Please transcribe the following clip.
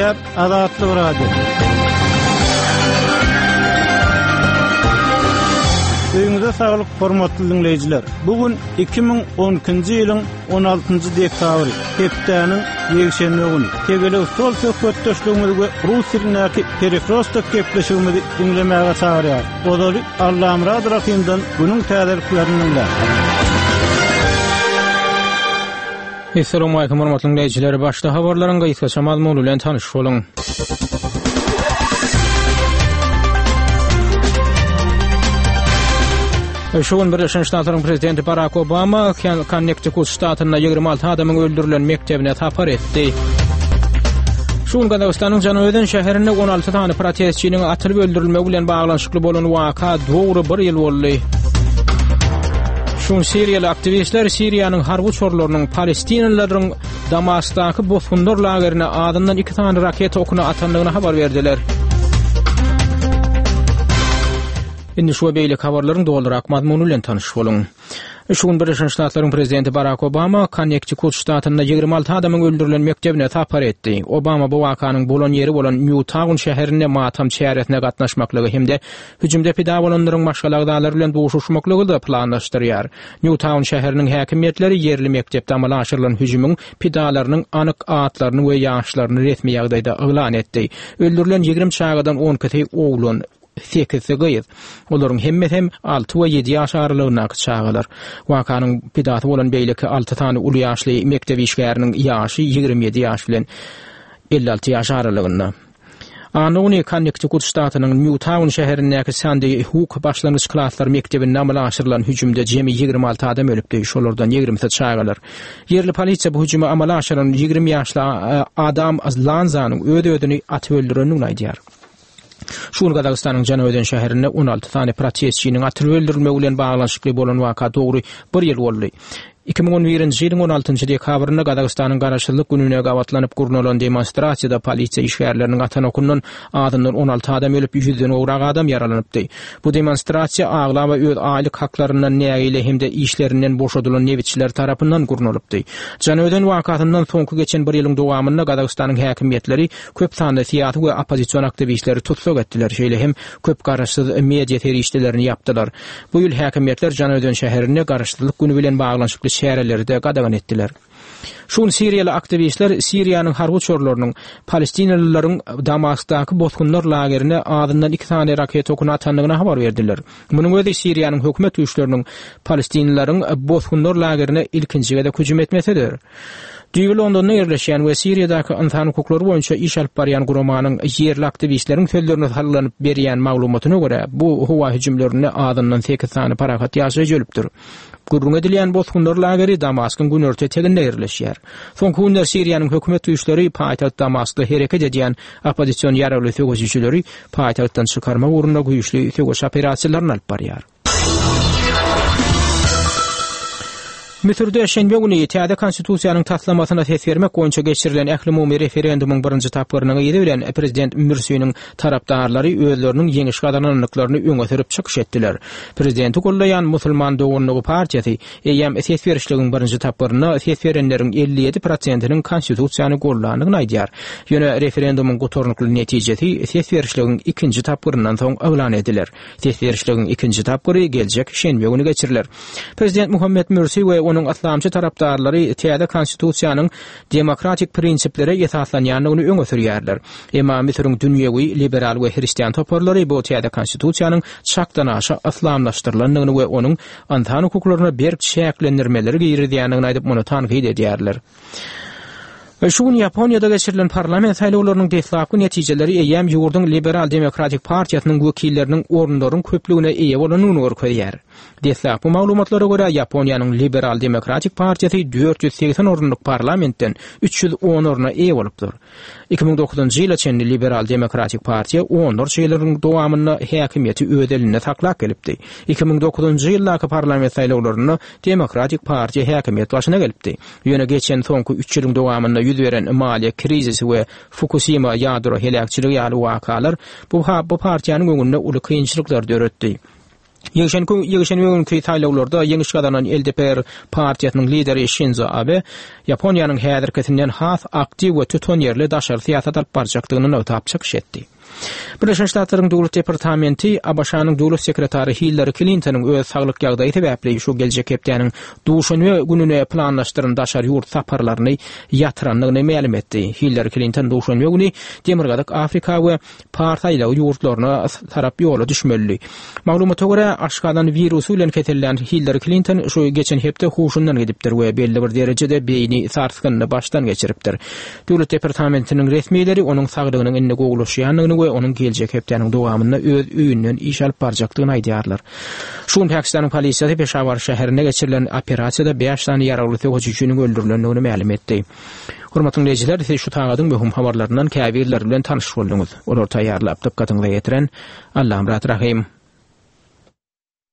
Gepleýär Azatlyk Radiosy. Öýüňize saglyk, hormatly diňleýjiler! Bu gün 2012-nji ýylyň 16-njy dekabry, hepdäniň ýekşenbe güni. Tegelek stol söhbetdeşligimizi we rus dilindäki Perekrostok gepleşigimizi diňlemäge çagyrýarys. Ozaly Allamyrat Rahymdan günüň täzeliklerini diňläň. Essalawmalikim hormatly diňleýjiler! Başda habarlaryň gysgaça mazmuny bilen tanyş boluň. Şu gün Birleşen Ştatlaryň prezidenti Barak Obama Konnektikut ştatynda 26 adamyň öldürilen mekdebine sapar etdi. Şu gün Gazagystanyň Janaözen şäherinde 16 sany protestçiniň atylyp öldürilmegi bilen baglanyşykly bolan waka dogry bir ýyl boldy. Şu gün siriýaly aktiwistler Siriýanyň harby uçarlarynyň palestinalylaryň Damaskdaky bosgunlar lagerine azyndan iki sany raketa okuny atandygyny habar berdiler. Indi şu we beýleki habarlaryň dolurak mazmuny bilen tanyş boluň. Şu gün Birleşen Ştatlaryň prezidenti Barak Obama Konnektikut ştatynda 26 adamyň öldürilen mekdebine sapar etdi. Obama bu wakanyň bolan ýeri bolan Nýu-Taun şäherinde matam çäresine gatnaşmaklygy hem-de hüjümde pida bolanlaryň maşgala agzalary bilen duşuşmaklygy-da planlaşdyrýar. Nýu-Taun şäheriniň häkimiýetleri ýerli mekdepde amala aşyrylan hüjümiň pidalarynyň anyk atlaryny we ýaşlaryny resmi ýagdaýda yglan etdi. Öldürilen 20 çagadan on ikisi oglan, sekizsi gyz. Olaryň hemmesi hem alty we ýedi ýaş aralygyndaky çagalar. Wakanyň pidasy bolan beýleki alty sany uly ýaşly mekdep işgäriniň ýaşy 27 ýaş bilen 56 ýaş aralygynda. Anna güni Konnektikut ştatynyň Nýu-Taun şäherindäki Sandi Huk başlangyç klaslar mekdebinde amala aşyrylan hüjümde jemi 26 adam ölüpdi, şolardan ýigrimisi çagalar. Ýerli polisiýa bu hüjümi amala aşyran 20 ýaşly Adam Lanzanyň öz-özüni atyp öldürendigini aýdýar. Şu gün Gazagystanyň Janaözen şäherinde 16 sany protestçiniň atylyp öldürilmegi bilen baglanyşykly bolan waka dogry bir ýyl boldy. 2011-nji ýylyň 16-njy dekabrynda Gazagystanyň Garaşsyzlyk gününe gabatlanyp gurnalan demonstrasiýada polisiýa işgärleriniň atan okundan azyndan 16 adam ölüp, ýüzden gowrak adam ýaralanypdy. Bu demonstrasiýa aglaba öz aýlyk haklaryndan nägile hem-de işlerinden boşadylan nebitçiler tarapyndan gurnalypdy. Janaözen wakasyndan soňky geçen bir ýylyň dowamynda Gazagystanyň häkimiýetleri Köp sanly syýasy we oppozision aktiwistleri tussag etdiler, şeýle hem köp garaşsyz media serişdelerini ýapdylar. Bu ýyl häkimiýetler Janaözen şäherinde Garaşsyzlyk güni bilen baglanyşykly çäreleri-de gadagan etdiler. Şu gün siriýaly aktiwistler Siriýanyň harby uçarlarynyň palestinalylaryň Damaskdaky bosgunlar lagerine azyndan iki sany raketa okuny atandygyny habar berdiler. Munuň özi Siriýanyň hökümet güýçleriniň palestinlileriň bosgunlar lagerine ilkinji gezek hüjüm etmesidir. Düýbi Londonda ýerleşýän we Siriýadaky ynsan hukuklary boýunça iş alyp barýan guramanyň ýerli aktiwistleriň sözlerine salgylanyp berýän maglumatyna görä, bu howa hüjümlerinde azyndan sekiz sany parahat ýaşaýjy ölüpdir. Gürrüňi edilýän bosgunlar lageri Damaskyň günorta eteginde ýerleşýär. Soňky günler Siriýanyň hökümet güýçleri paýtagt Damaskda hereket edýän oppozision ýaragly söweşijileri paýtagtdan çykarmak ugrunda güýçli söweş operasiýalaryny alyp barýar. Müsürde şenbe güni täze konstitusiýanyň taslamasyna ses bermek boýunça geçirilen ählumumy referendumyň birinji tapgyrynyň yzy bilen prezident Mürsiniň tarapdarlary özleriniň ýeňiş gazanandyklaryny öňe sürüp çykyş etdiler. Prezidenti goldaýan Musulman doganlygy partiýasy eýýäm ses berişligiň birinji tapgyrynda ses berenleriň 57 prosentiniň konstitusiýany goldandygyny aýdýar. Ýöne referendumyň gutarnykly netijesi ses berişligiň ikinji tapgyryndan soň yglan ediler. Ses berişligiň ikinji tapgyry geljek şenbe güni geçiriler. Prezident Muhammed Mürsi we onuň yslamçy tarapdarlary täze konstitusiýanyň demokratik prinsiplere esaslanýandygyny öňe sürýärler. Emma Müsüriň dünýewi, liberal we hristian toparlary bu täze konstitusiýanyň çakdanaşa yslamlaşdyrylandygyny we onuň ynsan hukuklaryna berk çäklendirmeleri girizýändigini aýdyp, muny tankyt edýärler. Şu gün Ýaponiýada geçirilen parlament saýlawlarynyň deslapky netijeleri eýýäm ýurduň Liberal-demokratik partiýasynyň wekilleriniň orunlaryň köplügine eýe bolandygyny görkezýär. Deslapky maglumatlara görä, Ýaponiýanyň Liberal-demokratik partiýasy 480 orunlyk parlamentden 310 orna eýe bolupdyr. 2009-njy ýyla çenli Liberal-demokratik partiýa onlarça ýyllaryň dowamynda häkimiýeti öz elinde saklap gelipdi. 2009-njy ýyldaky parlament saýlawlarynda Demokratik partiýa häkimiýet başyna gelipdi. Ýöne geçen soňky üç ýylyň dowamynda ýüz beren maliýe krizisi we Fukusima ýadro heläkçiligi ýaly wakalar bu bu partiýanyň öňünde uly kynçylyklary döretdi. Ýekşenbe günki saýlawlarda ýeňiş gazanan LDPR partiýasynyň lideri Şinzo Abe Ýaponiýanyň häzirkisinden has aktiw we tutanýerli daşary syýasat alyp barjakdygyny nygtap çykyş etdi. Birleşen Ştatlaryň Döwlet departamenti ABŞ-nyň Döwlet sekretary Hillari Klintonyň öz saglyk ýagdaýy sebäpli şu geljek hepdäniň duşenbe gününe planlaşdyran daşary ýurt saparlaryny ýatyrandygyny mälim etdi. Hillari Klinton duşenbe güni Demirgazyk Afrika we Pars aýlagy ýurtlaryna tarap ýola düşmelidi. Maglumata görä, aşgazan wirusy bilen kesellän Hillari Klinton şu geçen hepde huşundan gidipdir we belli bir derejede beýni sarsgynyny başdan geçiripdir. Döwlet departamentiniň resmileri onuň saglygynyň indi gowulaşýandygyny we onuň geljek hepdäniň dowamynda öz öýünden iş alyp barjakdygyny aýdýarlar. Şu gün Pakistanyň polisiýasy Peşawar şäherinde geçirilen operasiýada bäş sany ýaragly söweşijiniň öldürilendigini mälim etdi. Hormatly diňleýjiler, siz şu sagadyň möhüm habarlaryndan käbirleri bilen tanyş bolduňyz. Olary taýýarlap, dykgatyňyza ýetiren Allamyrat Rahym.